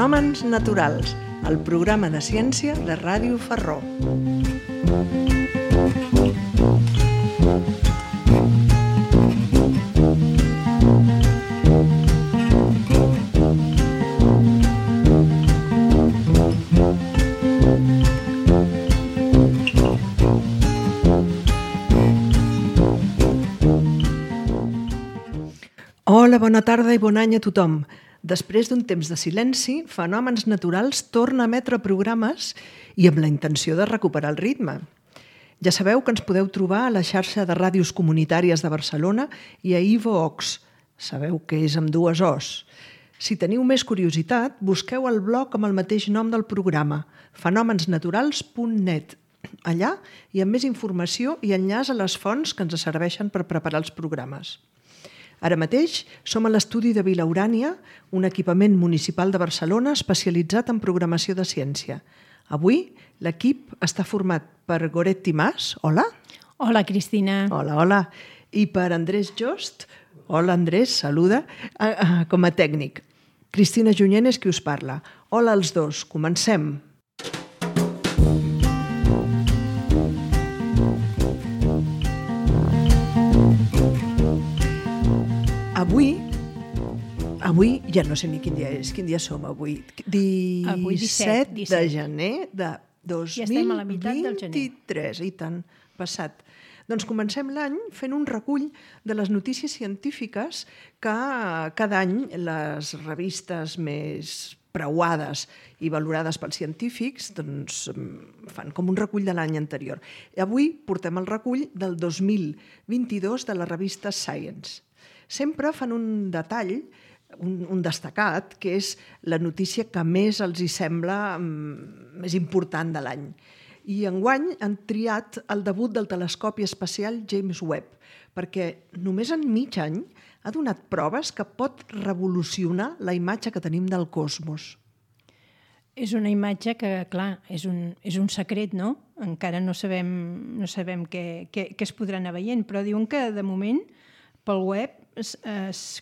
Fenòmens naturals, el programa de ciència de Ràdio Ferró. Hola, bona tarda i bon any a tothom. Després d'un temps de silenci, Fenòmens Naturals torna a emetre programes i amb la intenció de recuperar el ritme. Ja sabeu que ens podeu trobar a la xarxa de ràdios comunitàries de Barcelona i a iVoox. Sabeu que és amb dues Os. Si teniu més curiositat, busqueu el blog amb el mateix nom del programa, fenomensnaturals.net. Allà hi ha més informació i enllaç a les fonts que ens serveixen per preparar els programes. Ara mateix som a l'estudi de Vilaurània, un equipament municipal de Barcelona especialitzat en programació de ciència. Avui l'equip està format per Goretti Mas, hola. Hola, Cristina. Hola, hola. I per Andrés Jost, hola Andrés, saluda, com a tècnic. Cristina Junyent és qui us parla. Hola als dos, comencem. Avui ja no sé ni quin dia és. Quin dia som avui? 17 de gener de 2023. Ja estem a la meitat del gener. I tant, passat. Doncs comencem l'any fent un recull de les notícies científiques que cada any les revistes més preuades i valorades pels científics doncs, fan com un recull de l'any anterior. Avui portem el recull del 2022 de la revista Science. Sempre fan un detall, un destacat, que és la notícia que més els hi sembla més important de l'any. I enguany han triat el debut del telescopi espacial James Webb, perquè només en mig any ha donat proves que pot revolucionar la imatge que tenim del cosmos. És una imatge que, clar, és un secret, no? Encara no sabem què es podrà anar veient, però diuen que, de moment, pel web és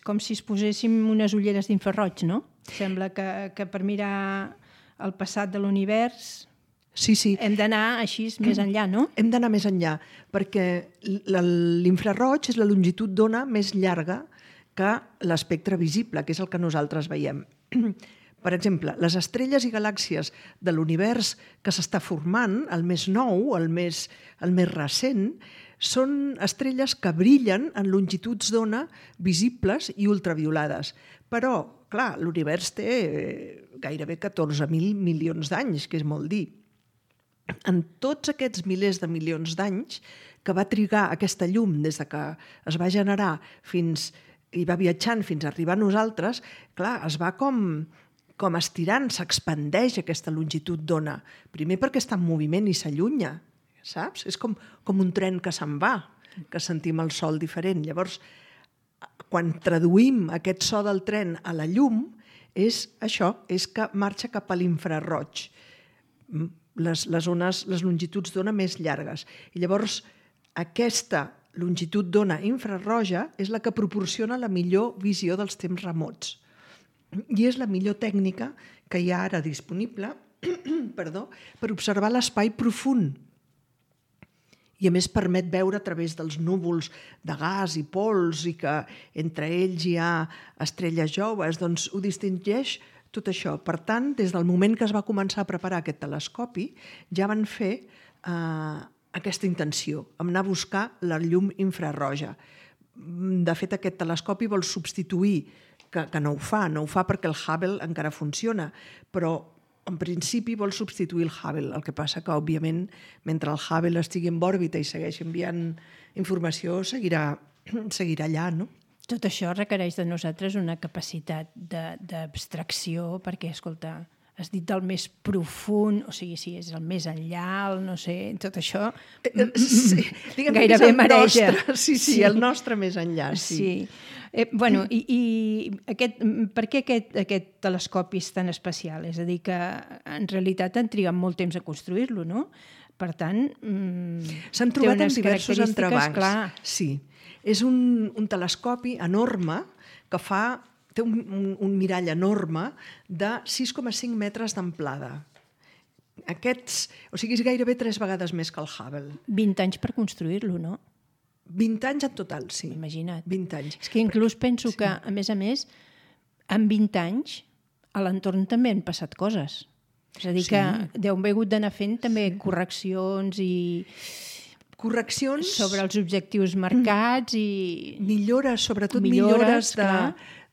com si es poséssim unes ulleres d'infraroig, no? Sembla que per mirar el passat de l'univers hem d'anar així més enllà, no? Hem d'anar més enllà, perquè l'infraroig és la longitud d'ona més llarga que l'espectre visible, que és el que nosaltres veiem. Per exemple, les estrelles i galàxies de l'univers que s'està formant, el més nou, el més recent, són estrelles que brillen en longituds d'ona visibles i ultraviolades. Però, clar, l'univers té gairebé 14.000 milions d'anys, que és molt dir. En tots aquests milers de milions d'anys que va trigar aquesta llum des que es va generar i va viatjant fins a arribar a nosaltres, clar, es va com estirant, s'expandeix aquesta longitud d'ona. Primer perquè està en moviment i s'allunya, saps? És com un tren que se'n va, que sentim el sol diferent. Llavors, quan traduïm aquest so del tren a la llum, és això, és que marxa cap a l'infraroig, les longituds d'ona més llargues. I llavors, aquesta longitud d'ona infraroja és la que proporciona la millor visió dels temps remots. I és la millor tècnica que hi ha ara disponible per observar l'espai profund. I a més permet veure a través dels núvols de gas i pols i que entre ells hi ha estrelles joves, doncs ho distingeix tot això. Per tant, des del moment que es va començar a preparar aquest telescopi, ja van fer aquesta intenció, anar a buscar la llum infraroja. De fet, aquest telescopi vol substituir, que no ho fa perquè el Hubble encara funciona, però en principi vol substituir el Hubble. El que passa que, òbviament, mentre el Hubble estigui en òrbita i segueixi enviant informació, seguirà allà, no? Tot això requereix de nosaltres una capacitat d'abstracció perquè, escolta, has dit del més profund, o sigui, si és el més enllà, el no sé, tot això gairebé mareja. Sí, el nostre més enllà, sí. Bueno, i per què aquest telescopi és tan especial? És a dir, que en realitat han trigat molt temps a construir-lo, no? Per tant, s'han trobat en diversos entrebancs. Sí, és un telescopi enorme que té un mirall enorme de 6,5 metres d'amplada. O sigui, és gairebé 3 vegades més que el Hubble. 20 anys per construir-lo, no? 20 anys en total, sí. Imagina't. 20 anys. És que inclús penso que, a més, en 20 anys, a l'entorn també han passat coses. És a dir, que deu haver hagut d'anar fent també correccions i... Correccions... Sobre els objectius marcats i... Millores, sobretot millores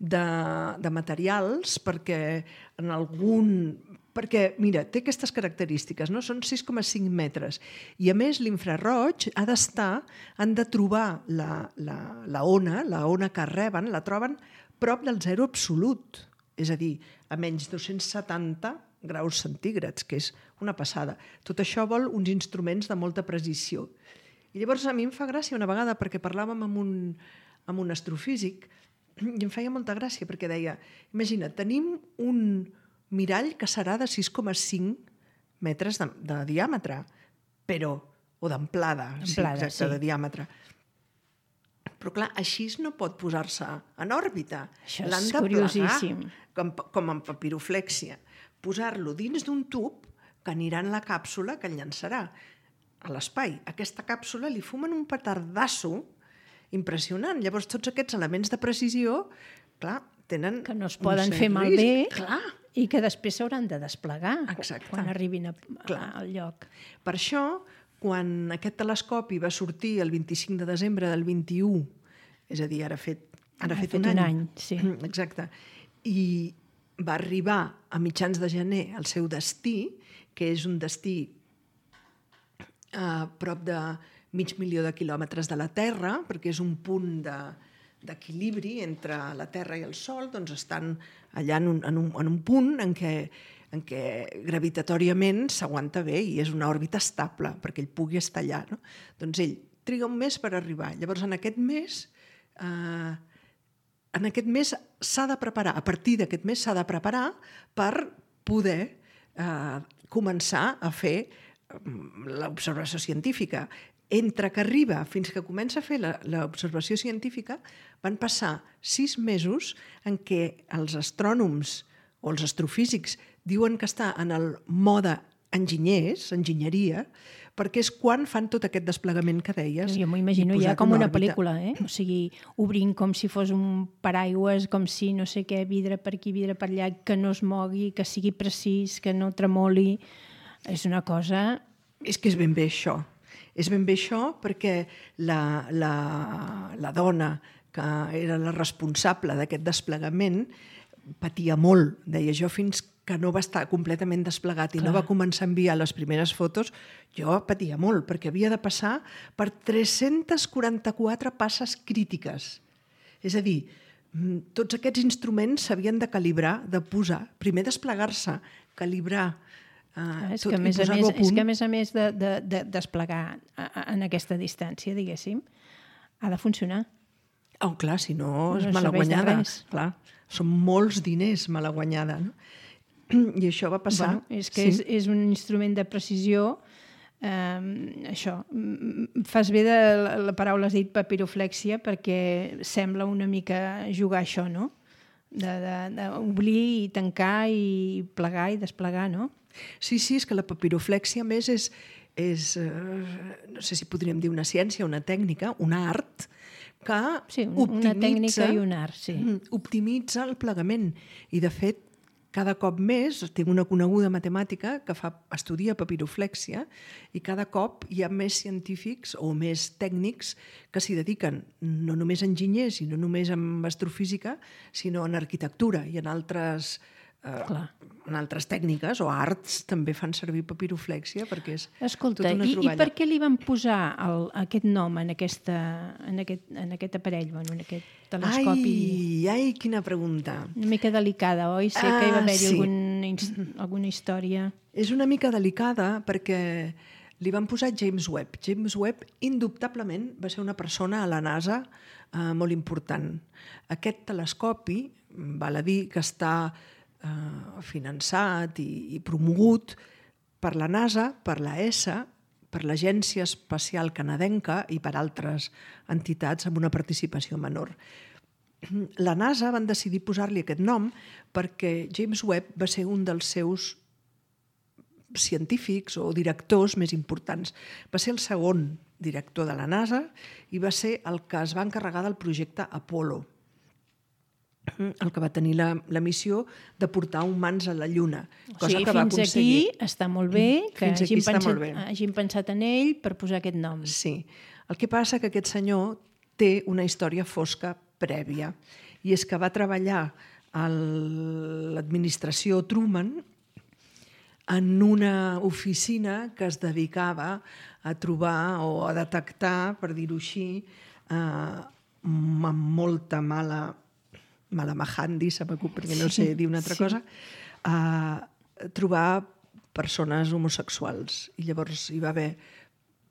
de materials, perquè en algun... Perquè, mira, té aquestes característiques, no? Són 6,5 metres. I, a més, l'infraroig han de trobar la ona que reben, la troben prop del zero absolut. És a dir, a menys 270 graus centígrads, que és una passada. Tot això vol uns instruments de molta precisió. I llavors a mi em fa gràcia una vegada, perquè parlàvem amb un astrofísic, i em feia molta gràcia, perquè deia, imagina, tenim un mirall que serà de 6,5 metres de diàmetre, o d'amplada, de diàmetre. Però clar, així no pot posar-se en òrbita. Això és curiosíssim. Com en papiroflèxia. Posar-lo dins d'un tub que anirà en la càpsula que el llançarà a l'espai. Aquesta càpsula li fumen un petardasso impressionant. Llavors, tots aquests elements de precisió, clar, tenen... Que no es poden fer malbé. Clar. I que després s'hauran de desplegar. Exacte. Quan arribin al lloc. Per això, quan aquest telescopi va sortir el 25 de desembre del 21, és a dir, ara ha fet un any. Sí. Exacte. I va arribar a mitjans de gener al seu destí, que és un destí a prop de 500.000 de quilòmetres de la Terra, perquè és un punt d'equilibri entre la Terra i el Sol, doncs estan allà en un punt en què gravitatòriament s'aguanta bé i és una òrbita estable perquè ell pugui estar allà. No? Doncs ell triga un mes per arribar. Llavors, en aquest mes s'ha de preparar, a partir d'aquest mes s'ha de preparar per poder començar a fer l'observació científica. Entre que arriba fins que comença a fer l'observació científica van passar 6 mesos en què els astrònoms o els astrofísics diuen que està en el mode enginyeria, perquè és quan fan tot aquest desplegament que deies. Jo m'ho imagino ja com una pel·lícula, O sigui, obrint com si fos un paraigües, com si no sé què, vidre per aquí, vidre per allà, que no es mogui, que sigui precís, que no tremoli. És una cosa... És que és ben bé això. És ben bé això perquè la dona que era la responsable d'aquest desplegament patia molt. Deia, jo fins que no va estar completament desplegat i no va començar a enviar les primeres fotos, jo patia molt, perquè havia de passar per 344 passes crítiques. És a dir, tots aquests instruments s'havien de calibrar, de posar, primer desplegar-se, calibrar, és que a més a més de desplegar en aquesta distància, diguéssim, ha de funcionar. Clar, si no és malaguanyada. Clar, són molts diners malaguanyada. No? I això va passar. És que és un instrument de precisió. Això, fas bé de la paraula, has dit papiroflèxia, perquè sembla una mica jugar a això, no? D'obrir i tancar i plegar i desplegar, no? Sí, és que la papiroflèxia, a més, és no sé si podríem dir una ciència, una tècnica, un art, que una tècnica i un art, sí. Optimitza el plegament. I, de fet, cada cop més, tinc una coneguda matemàtica que estudia papiroflèxia i cada cop hi ha més científics o més tècnics que s'hi dediquen, no només enginyers i no només en astrofísica, sinó en arquitectura i en altres tècniques o arts també fan servir papiroflèxia perquè és tota una troballa. I per què li van posar aquest nom en aquest aparell, en aquest telescopi? Ai, quina pregunta. Una mica delicada, oi? Sé que hi va haver-hi alguna història. És una mica delicada perquè li van posar James Webb. James Webb, indubtablement, va ser una persona a la NASA molt important. Aquest telescopi, val a dir que està finançat i promogut per la NASA, per la ESA, per l'Agència Espacial Canadenca i per altres entitats amb una participació menor. la NASA van decidir posar-li aquest nom perquè James Webb va ser un dels seus científics o directors més importants. Va ser el segon director de la NASA i va ser el que es va encarregar del projecte Apollo, el que va tenir la missió de portar humans a la Lluna, cosa que va aconseguir. Fins aquí està molt bé que hagin pensat en ell per posar aquest nom. Sí. El que passa que aquest senyor té una història fosca prèvia, i és que va treballar a l'administració Truman en una oficina que es dedicava a trobar o a detectar, per dir-ho així, amb molta mala mahandi, perquè no sé dir una altra cosa, trobar persones homosexuals. I llavors hi va haver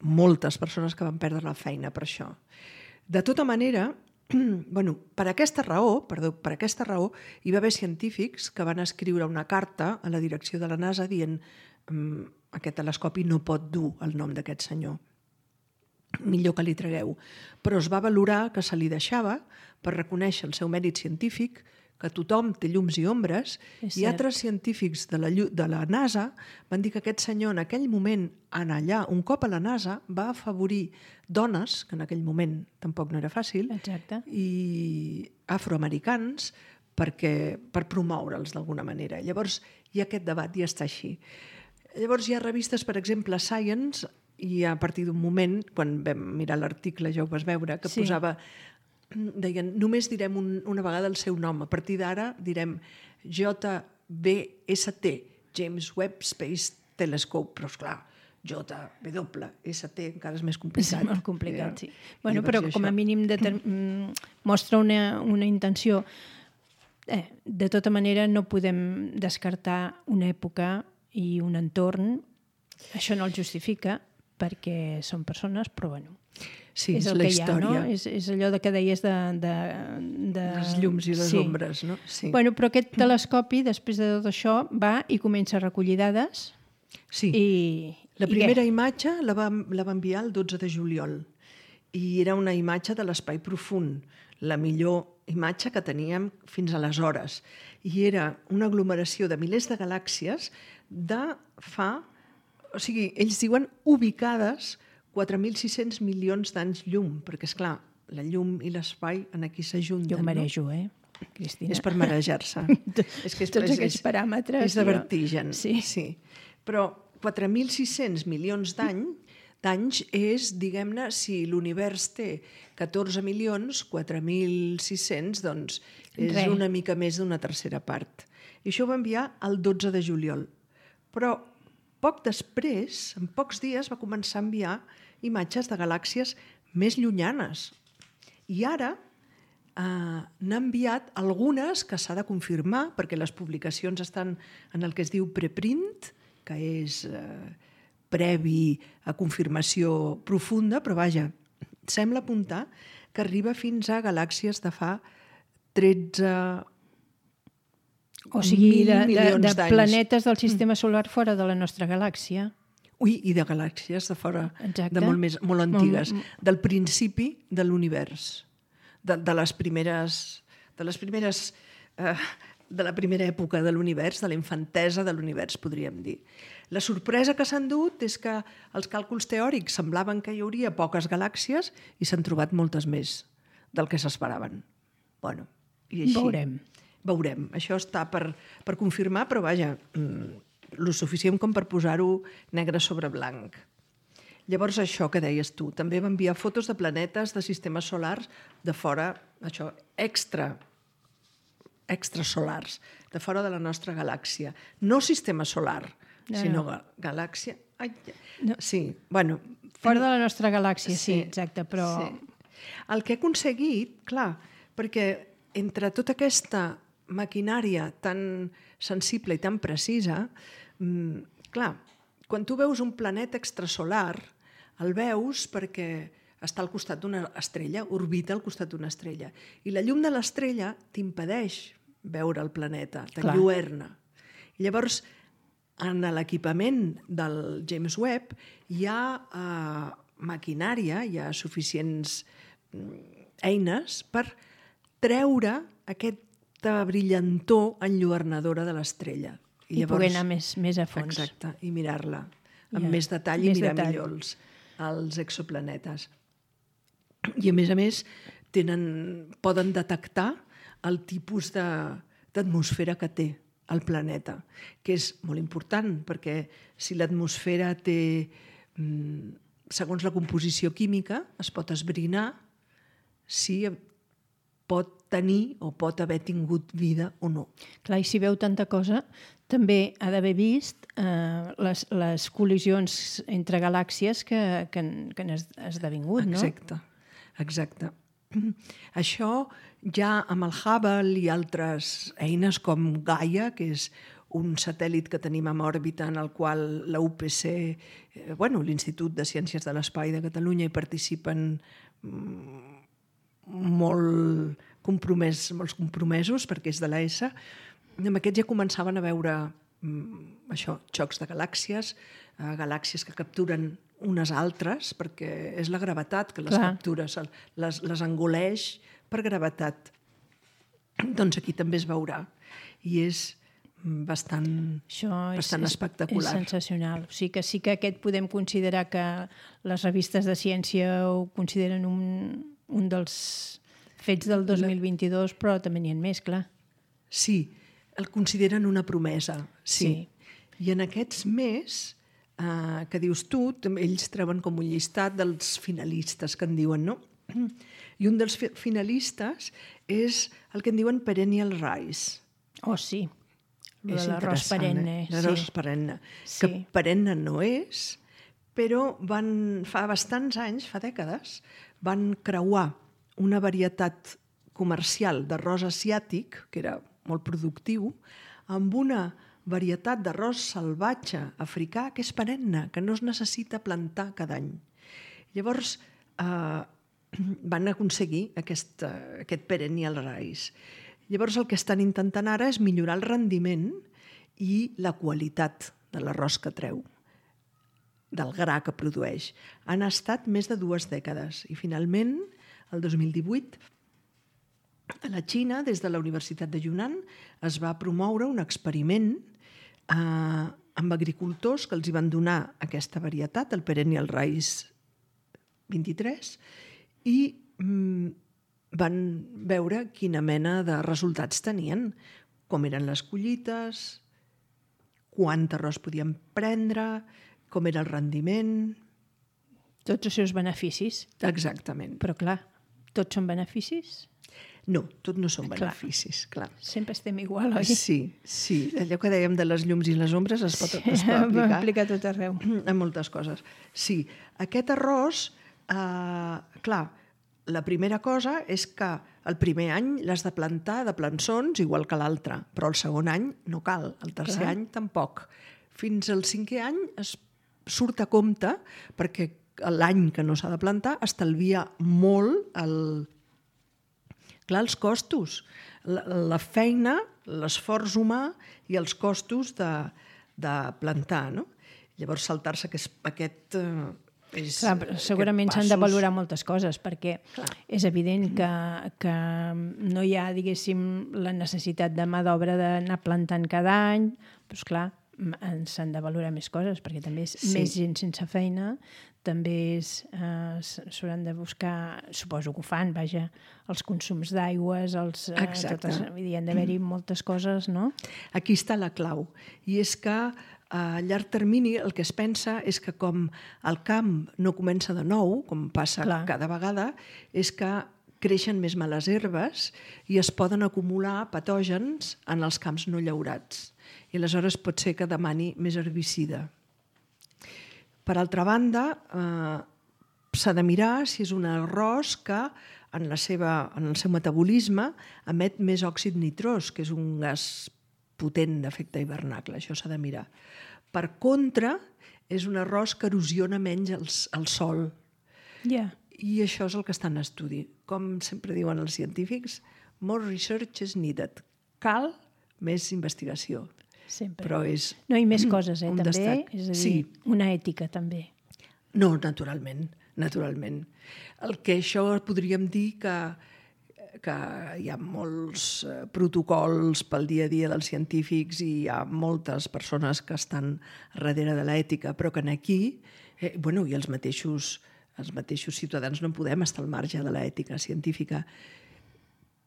moltes persones que van perdre la feina per això. De tota manera, per aquesta raó, hi va haver científics que van escriure una carta a la direcció de la NASA dient aquest telescopi no pot dur el nom d'aquest senyor. Millor que li tragueu. Però es va valorar que se li deixava per reconèixer el seu mèrit científic, que tothom té llums i ombres, i altres científics de la NASA van dir que aquest senyor en aquell moment, en allà, un cop a la NASA, va afavorir dones, que en aquell moment tampoc no era fàcil, i afroamericans per promoure'ls d'alguna manera. Llavors hi ha aquest debat i està així. Llavors hi ha revistes, per exemple, Science, i a partir d'un moment, quan vam mirar l'article ja ho vas veure, que posava, deien, només direm una vegada el seu nom, a partir d'ara direm JWST, James Webb Space Telescope, però esclar, JWST encara és més complicat. És molt complicat, sí. Però com a mínim mostra una intenció. De tota manera no podem descartar una època i un entorn, això no el justifica, perquè són persones, però bueno, sí, és la història. És allò que deies de... Les llums i les ombres, no? Sí. Però aquest telescopi, després de tot això, va i comença a recollir dades. Sí, la primera imatge la va enviar el 12 de juliol i era una imatge de l'espai profund, la millor imatge que teníem fins aleshores. I era una aglomeració de milers de galàxies o sigui, ells diuen ubicades 4.600 milions d'anys llum, perquè, esclar, la llum i l'espai aquí s'ajunten. Jo marejo, Cristina? És per marejar-se. Tots aquests paràmetres. És de vertigen. Sí. Però 4.600 milions d'anys és, diguem-ne, si l'univers té 14 milions, 4.600, doncs és una mica més d'una tercera part. I això ho va enviar el 12 de juliol. Però poc després, en pocs dies, va començar a enviar imatges de galàxies més llunyanes. I ara n'ha enviat algunes que s'ha de confirmar, perquè les publicacions estan en el que es diu preprint, que és previ a confirmació profunda, però vaja, sembla apuntar que arriba fins a galàxies de fa 13 o sigui, milions de d'anys. planetes del sistema solar fora de la nostra galàxia. Ui, i de galàxies de fora, de molt antigues, del principi de l'univers, de la primera època de l'univers, de la infantesa de l'univers, podríem dir. La sorpresa que s'han dut és que els càlculs teòrics semblaven que hi hauria poques galàxies i s'han trobat moltes més del que s'esperaven. Bueno, i així. Veurem. Això està per confirmar, però vaja, lo suficient com per posar-ho negre sobre blanc. Llavors, això que deies tu, també va enviar fotos de planetes de sistemes solars de fora, això, extrasolars, de fora de la nostra galàxia. No sistema solar, sinó galàxia... Sí, bueno... Fora de la nostra galàxia, sí, exacte, però... El que ha aconseguit, clar, perquè entre tota aquesta maquinària tan sensible i tan precisa, clar, quan tu veus un planeta extrasolar, el veus perquè està al costat d'una estrella, orbita al costat d'una estrella. I la llum de l'estrella t'impedeix veure el planeta, t'enlluerna. Llavors, en l'equipament del James Webb hi ha maquinària, hi ha suficients eines per treure aquesta brillantor enlluernadora de l'estrella. I poder anar més a fons. Exacte, i mirar-la amb més detall i mirar millor els exoplanetes. I a més, poden detectar el tipus d'atmosfera que té el planeta, que és molt important, perquè si l'atmosfera té, segons la composició química, es pot esbrinar si pot tenir o pot haver tingut vida o no. Clar, i si veu tanta cosa, també ha d'haver vist les col·lisions entre galàxies que han esdevingut, no? Exacte. Això ja amb el Hubble i altres eines com Gaia, que és un satèl·lit que tenim en òrbita en el qual la UPC, l'Institut de Ciències de l'Espai de Catalunya, hi participen molts compromesos perquè és de l'ESA. Amb aquests ja començaven a veure xocs de galàxies, galàxies que capturen unes altres, perquè és la gravetat que les captura, les engoleix per gravetat. Doncs aquí també es veurà. I és bastant espectacular. És sensacional. O sigui que sí que aquest podem considerar que les revistes de ciència ho consideren un dels fets del 2022, però també n'hi ha més, clar. Sí, el consideren una promesa, sí. I en aquests més, que dius tu, ells treuen com un llistat dels finalistes que en diuen, no? I un dels finalistes és el que en diuen Perennial Rise. Oh, sí. L'arròs perenne. L'arròs perenne. Que perenne no és, però fa bastants anys, fa dècades, van creuar una varietat comercial d'arròs asiàtic, que era molt productiu, amb una varietat d'arròs salvatge africà que és perenne, que no es necessita plantar cada any. Llavors van aconseguir aquest Perennial Rice. Llavors el que estan intentant ara és millorar el rendiment i la qualitat de l'arròs que treu, del gra que produeix. Han estat més de 2 dècades i finalment, el 2018, a la Xina, des de la Universitat de Yunnan, es va promoure un experiment amb agricultors que els hi van donar aquesta varietat, el Perennial Rice 23, i van veure quina mena de resultats tenien, com eren les collites, quant arròs podien prendre, com era el rendiment. Tots els seus beneficis. Exactament. Però clar, tots són beneficis? No, tot no són beneficis, clar. Sempre estem igual, oi? Sí. Allò que dèiem de les llums i les ombres es pot aplicar tot arreu. A moltes coses. Sí, aquest arròs, clar, la primera cosa és que el primer any l'has de plantar de plançons igual que l'altre, però el segon any no cal, el tercer any tampoc. Fins al 5è any es surt a compte perquè l'any que no s'ha de plantar estalvia molt els costos, la feina, l'esforç humà i els costos de plantar, no? Llavors saltar-se aquest... Segurament s'han de valorar moltes coses perquè és evident que no hi ha, diguéssim, la necessitat de mà d'obra d'anar plantant cada any, doncs clar, s'han de valorar més coses perquè també és més gent sense feina, també s'hauran de buscar, suposo que ho fan, vaja, els consums d'aigües, hi han d'haver-hi moltes coses, no? Aquí està la clau, i és que a llarg termini el que es pensa és que com el camp no comença de nou, com passa cada vegada, és que creixen més males herbes i es poden acumular patògens en els camps no llaurats. I aleshores pot ser que demani més herbicida. Per altra banda, s'ha de mirar si és un arròs que en el seu metabolisme emet més òxid nitrós, que és un gas potent d'efecte hivernacle. Això s'ha de mirar. Per contra, és un arròs que erosiona menys el sòl. I això és el que està en estudi. Com sempre diuen els científics, more research is needed. Cal més investigació. Sempre. Però és no, i més coses, també. Destac. És a dir, una ètica, també. No, naturalment. El que això podríem dir que que hi ha molts protocols pel dia a dia dels científics i hi ha moltes persones que estan darrere de l'ètica, però que aquí, i els mateixos ciutadans no podem estar al marge de l'ètica científica,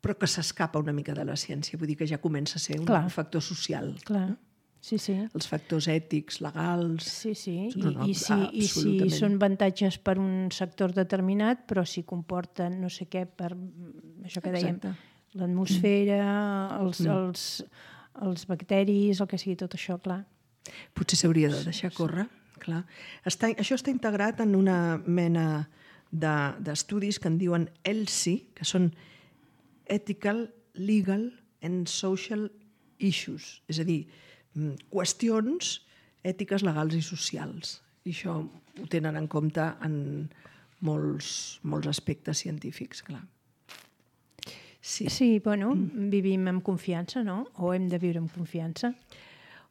però que s'escapa una mica de la ciència, vull dir que ja comença a ser un factor social. Clar, sí. Els factors ètics, legals... Sí. I si són avantatges per un sector determinat, però si comporten no sé què per això que dèiem, l'atmosfera, els bacteris, el que sigui tot això, clar. Potser s'hauria de deixar córrer, clar. Això està integrat en una mena d'estudis que en diuen ELSI, que són Ethical, Legal and Social Issues, és a dir, qüestions ètiques, legals i socials. I això ho tenen en compte en molts aspectes científics, clar. Sí, vivim amb confiança, no? O hem de viure amb confiança?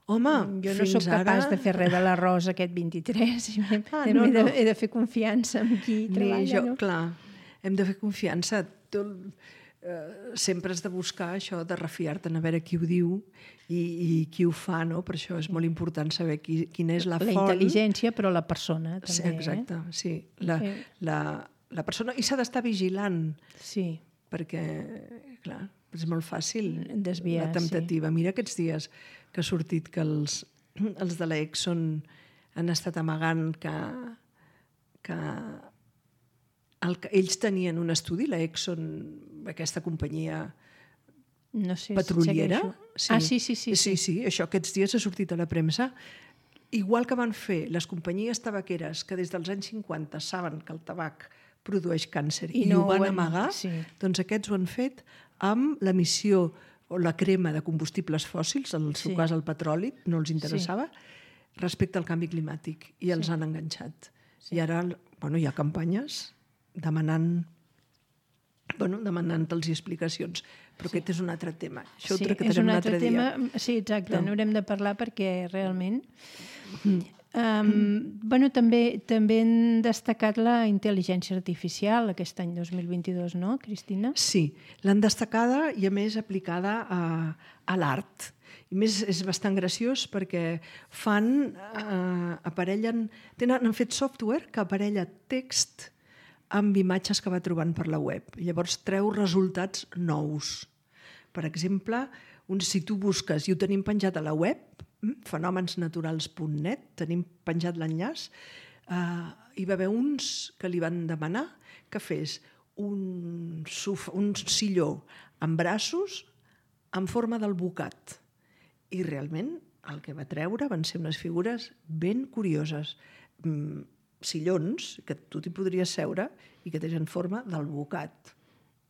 Home, jo no sóc capaç de fer res de l'arròs aquest 23. He de fer confiança en qui treballa, no? Clar, hem de fer confiança. Sempre has de buscar això, de refiar-te, a veure qui ho diu i qui ho fa, no? Per això és molt important saber quina és la font. La intel·ligència, però la persona, també. Sí, exacte, sí. La persona, i s'ha d'estar vigilant. Sí. Perquè, clar, és molt fàcil desviar, la temptativa. Mira aquests dies que ha sortit que els de l'Exxon han estat amagant que ells tenien un estudi, l'Exxon, aquesta companyia petroliera. Sí, això aquests dies ha sortit a la premsa. Igual que van fer les companyies tabaqueres que des dels anys 50 saben que el tabac produeix càncer i ho van amagar, doncs aquests ho han fet amb l'emissió o la crema de combustibles fòssils, en el seu cas el petroli, no els interessava, respecte al canvi climàtic, i els han enganxat. I ara hi ha campanyes demanant-los explicacions, però aquest és un altre tema. Això ho tractarem un altre dia. Sí, exacte, n'haurem de parlar perquè realment... També han destacat la intel·ligència artificial aquest any 2022, no, Cristina? Sí, l'han destacada i a més aplicada a l'art. I més és bastant graciós perquè han fet software que aparella text amb imatges que va trobant per la web. Llavors treu resultats nous. Per exemple, si tu busques, i ho tenim penjat a la web, fenomensnaturals.net, tenim penjat l'enllaç, hi va haver uns que li van demanar que fes un silló amb braços en forma d'alvocat. I realment el que va treure van ser unes figures ben curioses. Sillons que tu t'hi podries seure i que tenen forma d'alvocat,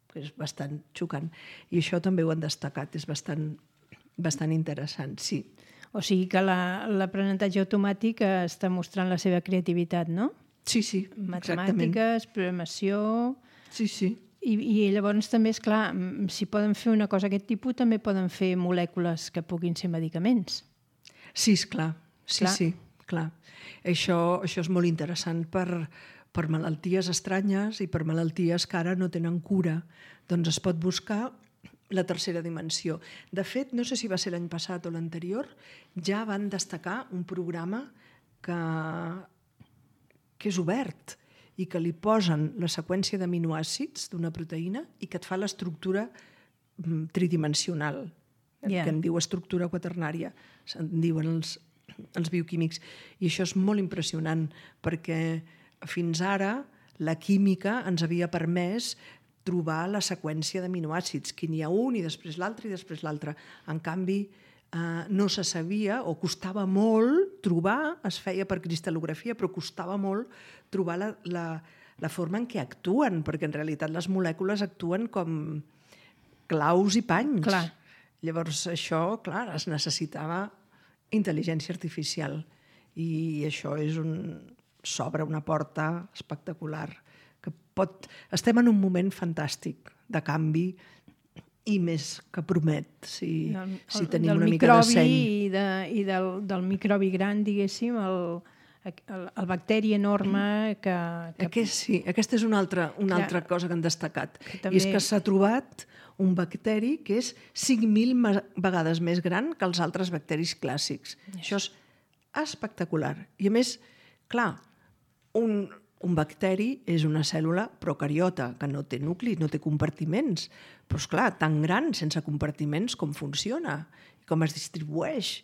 que és bastant xocant. I això també ho han destacat, és bastant interessant, sí. O sigui que l'aprenentatge automàtic està mostrant la seva creativitat, no? Sí, exactament. Matemàtiques, programació... Sí. I llavors també, és clar, si poden fer una cosa d'aquest tipus, també poden fer molècules que puguin ser medicaments. Sí, esclar. Sí, clar. Això és molt interessant per malalties estranyes i per malalties que ara no tenen cura. Doncs es pot buscar la tercera dimensió. De fet, no sé si va ser l'any passat o l'anterior, ja van destacar un programa que és obert i que li posen la seqüència d'aminoàcids d'una proteïna i que et fa l'estructura tridimensional, que en diu estructura quaternària, se'n diuen els bioquímics. I això és molt impressionant perquè fins ara la química ens havia permès trobar la seqüència d'aminoàcids, que n'hi ha un i després l'altre i després l'altre. En canvi, no se sabia o costava molt trobar, es feia per cristal·lografia, però costava molt trobar la forma en què actuen, perquè en realitat les molècules actuen com claus i panys. Clar. Llavors això, clar, es necessitava intel·ligència artificial i això s'obre una porta espectacular. Estem en un moment fantàstic de canvi i més que promet, si tenim una mica de seny. I del microbi gran, diguéssim, el bacteri enorme que... Sí, aquesta és una altra cosa que han destacat. I és que s'ha trobat un bacteri que és 5.000 vegades més gran que els altres bacteris clàssics. Això és espectacular. I a més, clar, un bacteri és una cèl·lula procariota, que no té nucli, no té compartiments. Però, esclar, tan gran, sense compartiments, com funciona, com es distribueix.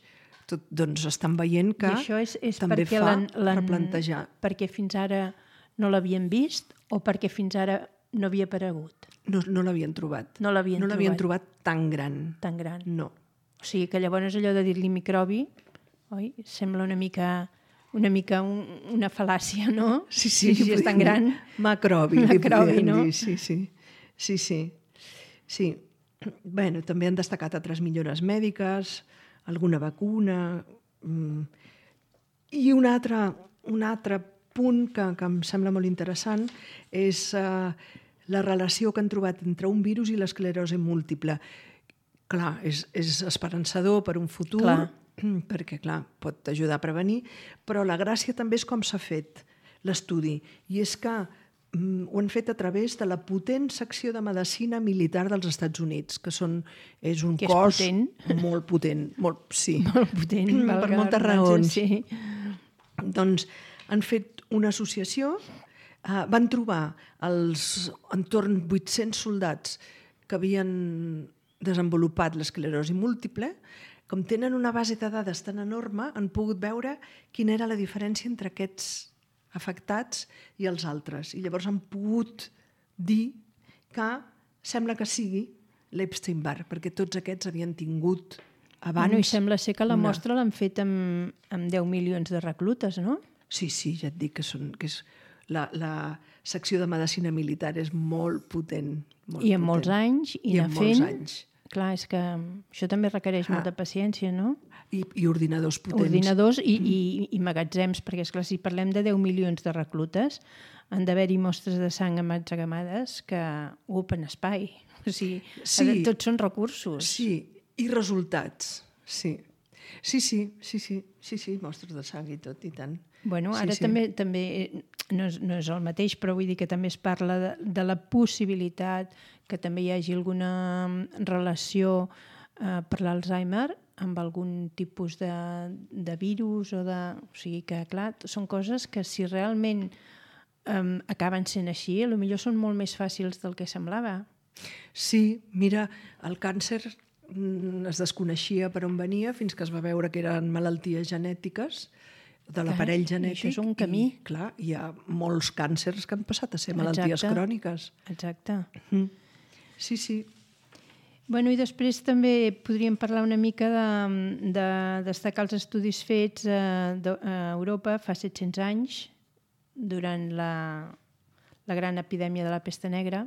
Doncs estan veient que també fa replantejar. Perquè fins ara no l'havien vist o perquè fins ara no havia aparegut? No l'havien trobat. No l'havien trobat tan gran. Tan gran. No. O sigui que llavors allò de dir-li microbi, oi? Sembla una mica una fal·làcia, no? Sí, és tan gran. Macrobi, no? Sí. Bueno, també han destacat altres millores mèdiques, alguna vacuna... I un altre punt que em sembla molt interessant és la relació que han trobat entre un virus i l'esclerosi múltiple. Clar, és esperançador per un futur, perquè, clar, pot ajudar a prevenir, però la gràcia també és com s'ha fet l'estudi. I és que ho han fet a través de la potent secció de medicina militar dels Estats Units, que és un cos molt potent. Sí. Molt potent, per moltes raons. Sí. Doncs han fet una associació, van trobar entorn 800 soldats que havien desenvolupat l'esclerosi múltiple. Com tenen una base de dades tan enorme, han pogut veure quina era la diferència entre aquests afectats i els altres. I llavors han pogut dir que sembla que sigui l'Epstein-Barr, perquè tots aquests havien tingut abans... I sembla ser que la mostra l'han fet amb 10 milions de reclutes, no? Sí, ja et dic que és la secció de medicina militar és molt potent. I en molts anys, i anar fent... molts anys. Clar, és que això també requereix molta paciència, no? I ordinadors potents. Ordinadors i magatzems, perquè, esclar, si parlem de 10 milions de reclutes, han d'haver-hi mostres de sang emmagatzemades que ocupen espai. O sigui, tots són recursos. Sí, i resultats. Sí, mostres de sang i tot, i tant. Bueno, ara també no és el mateix, però vull dir que també es parla de la possibilitat que també hi hagi alguna relació per l'Alzheimer amb algun tipus de virus o sigui que, clar, són coses que si realment acaben sent així, potser són molt més fàcils del que semblava. Sí, mira, el càncer es desconeixia per on venia fins que es va veure que eren malalties genètiques de l'aparell genètic. Això és un camí. I, clar, hi ha molts càncers que han passat a ser malalties cròniques. Exacte. Sí. Bueno, i després també podríem parlar una mica de destacar els estudis fets a Europa fa 700 anys, durant la gran epidèmia de la pesta negra.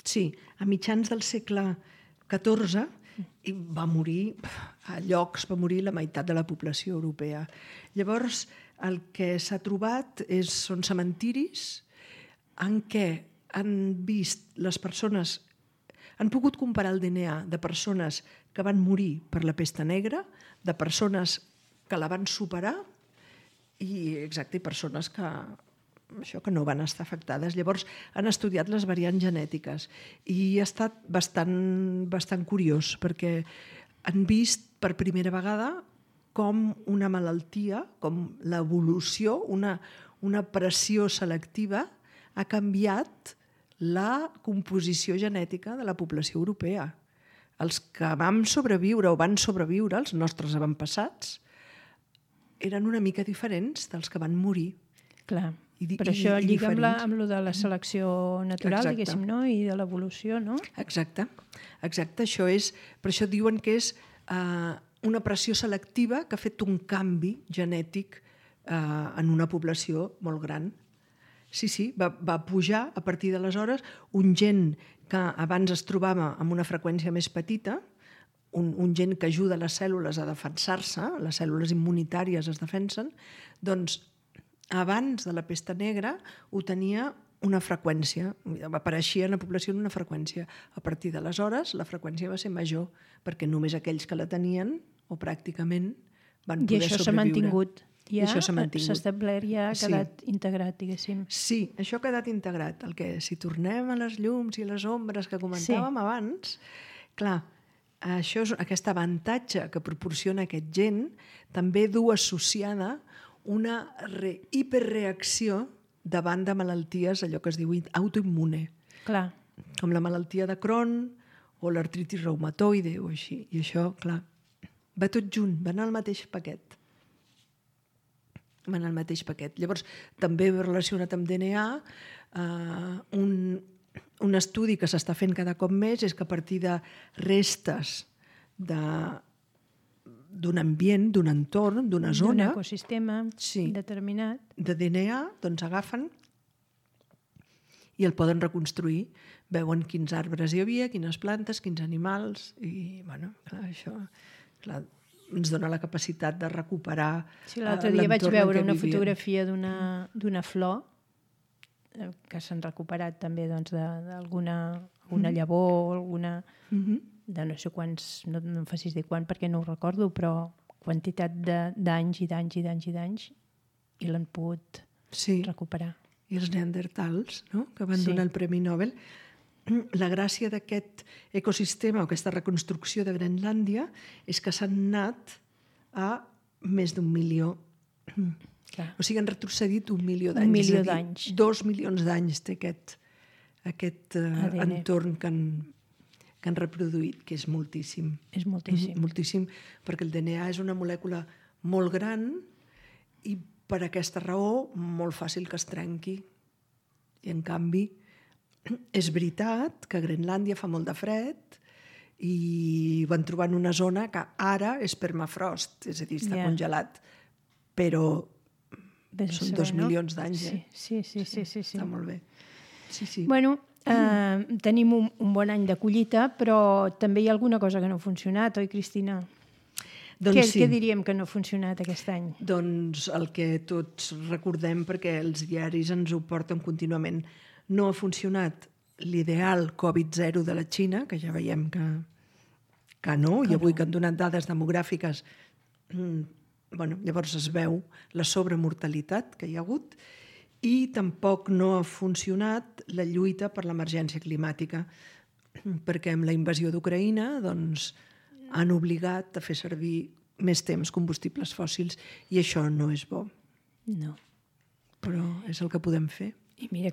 Sí, a mitjans del segle XIV va morir la meitat de la població europea. Llavors, el que s'ha trobat són cementiris en què han vist les persones, han pogut comparar el DNA de persones que van morir per la pesta negra, de persones que la van superar i persones que no van estar afectades. Llavors han estudiat les variants genètiques i ha estat bastant curiós perquè han vist per primera vegada com una malaltia, com l'evolució, una pressió selectiva ha canviat la composició genètica de la població europea. Els que vam sobreviure o van sobreviure, els nostres avantpassats, eren una mica diferents dels que van morir. Clar, però això lliga amb lo de la selecció natural, diguéssim, no? I de l'evolució, no? Exacte. Per això diuen que és una pressió selectiva que ha fet un canvi genètic en una població molt gran. Sí, va pujar a partir d'aleshores un gen que abans es trobava amb una freqüència més petita, un gen que ajuda les cèl·lules a defensar-se, les cèl·lules immunitàries es defensen, doncs abans de la pesta negra ho tenia una freqüència, apareixia en la població en una freqüència. A partir d'aleshores la freqüència va ser major, perquè només aquells que la tenien, o pràcticament, van poder sobreviure. I això s'ha mantingut. I això s'ha mantingut. S'ha establert, ja ha quedat integrat, diguéssim. Sí, això ha quedat integrat. El que, si tornem a les llums i les ombres que comentàvem abans, clar, això és aquest avantatge que proporciona aquest gen, també du associada una hiperreacció davant de malalties, allò que es diu autoimmune. Clar. Com la malaltia de Crohn o l'artritis reumatoide o així. I això, clar, va tot junt, va en el mateix paquet. Llavors, també relacionat amb DNA, un estudi que s'està fent cada cop més és que a partir de restes d'un ambient, d'un entorn, d'una zona... D'un ecosistema determinat. De DNA, doncs agafen i el poden reconstruir. Veuen quins arbres hi havia, quines plantes, quins animals, i, bueno, clar, això... Clar, ens dona la capacitat de recuperar l'entorn en què vivien. L'altre dia vaig veure una fotografia d'una flor que s'han recuperat també d'alguna llavor o alguna... de no sé quants, no em facis dir quan perquè no ho recordo, però quantitat d'anys i d'anys i d'anys i d'anys i l'han pogut recuperar. I els neandertals, no?, que van donar el Premi Nobel. La gràcia d'aquest ecosistema o aquesta reconstrucció de Grenlàndia és que s'han anat a més d'1 milió. O sigui, han retrocedit 1 milió d'anys. 1 milió d'anys. 2 milions d'anys té aquest entorn que han reproduït, que és moltíssim. És moltíssim. Moltíssim, perquè el DNA és una molècula molt gran i per aquesta raó molt fàcil que es trenqui. I en canvi és veritat que a Grenlàndia fa molt de fred i van trobar en una zona que ara és permafrost, és a dir, està congelat, però són 2 milions d'anys. Sí. Està molt bé. Sí. Bueno, tenim un bon any de collita, però també hi ha alguna cosa que no ha funcionat, oi, Cristina? Doncs Què diríem que no ha funcionat aquest any? Doncs el que tots recordem, perquè els diaris ens ho porten contínuament. No ha funcionat l'ideal Covid-0 de la Xina, que ja veiem que no, i avui que han donat dades demogràfiques, llavors es veu la sobremortalitat que hi ha hagut, i tampoc no ha funcionat la lluita per l'emergència climàtica, perquè amb la invasió d'Ucraïna han obligat a fer servir més temps combustibles fòssils i això no és bo. No. Però és el que podem fer. I mira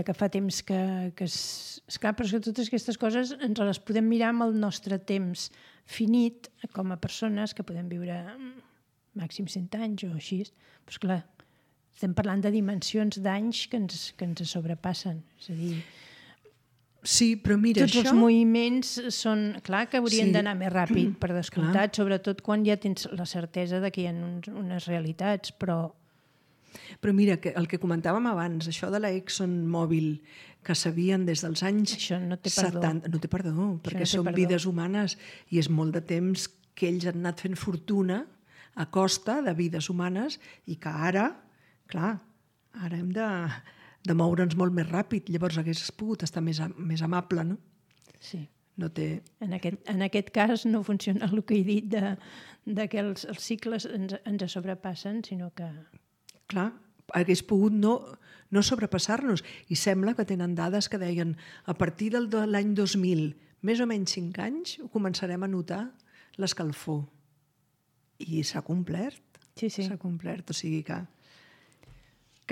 que fa temps que esclar, però és que totes aquestes coses ens les podem mirar amb el nostre temps finit com a persones que podem viure màxim 100 anys o així. Però esclar, estem parlant de dimensions d'anys que ens sobrepassen. És a dir, sí, però mira, tots els moviments són... Clar que haurien d'anar més ràpid, per descomptat, sobretot quan ja tens la certesa de que hi ha unes realitats, però mira, el que comentàvem abans, això de la ExxonMobil, que sabien des dels anys 70... No té perdó, perquè són vides humanes i és molt de temps que ells han anat fent fortuna a costa de vides humanes i que ara, clar, ara hem de moure'ns molt més ràpid. Llavors hagués pogut estar més amable, no? Sí. No té... En aquest cas no funciona el que he dit de que els cicles ens sobrepassen, sinó que... Clar, hagués pogut no sobrepassar-nos. I sembla que tenen dades que deien a partir de l'any 2000, més o menys 5 anys, ho començarem a notar l'escalfor. I s'ha complert. Sí. S'ha complert, o sigui que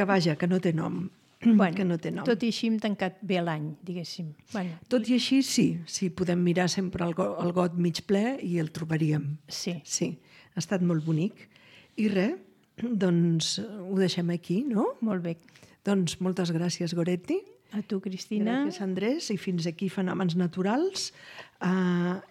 vaja, que no té nom. Bueno, que no té nom. Tot i així hem tancat bé l'any, diguéssim. Bueno. Tot i així, sí, podem mirar sempre el got mig ple i el trobaríem. Sí. Ha estat molt bonic. I res, doncs ho deixem aquí, no? Molt bé. Doncs moltes gràcies, Goretti. A tu, Cristina. Gràcies, Andrés. I fins aquí Fenòmens Naturals.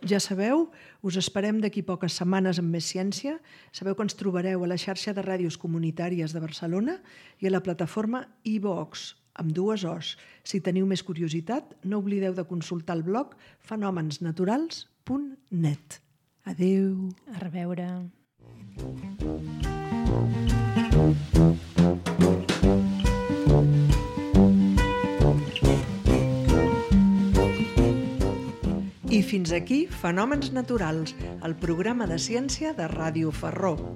Ja sabeu, us esperem d'aquí poques setmanes amb més ciència. Sabeu que ens trobareu a la xarxa de ràdios comunitàries de Barcelona i a la plataforma iVox, amb 2 Os. Si teniu més curiositat, no oblideu de consultar el blog fenomensnaturals.net. Adéu. A reveure. I fins aquí Fenòmens Naturals, el programa de ciència de Ràdio Ferró.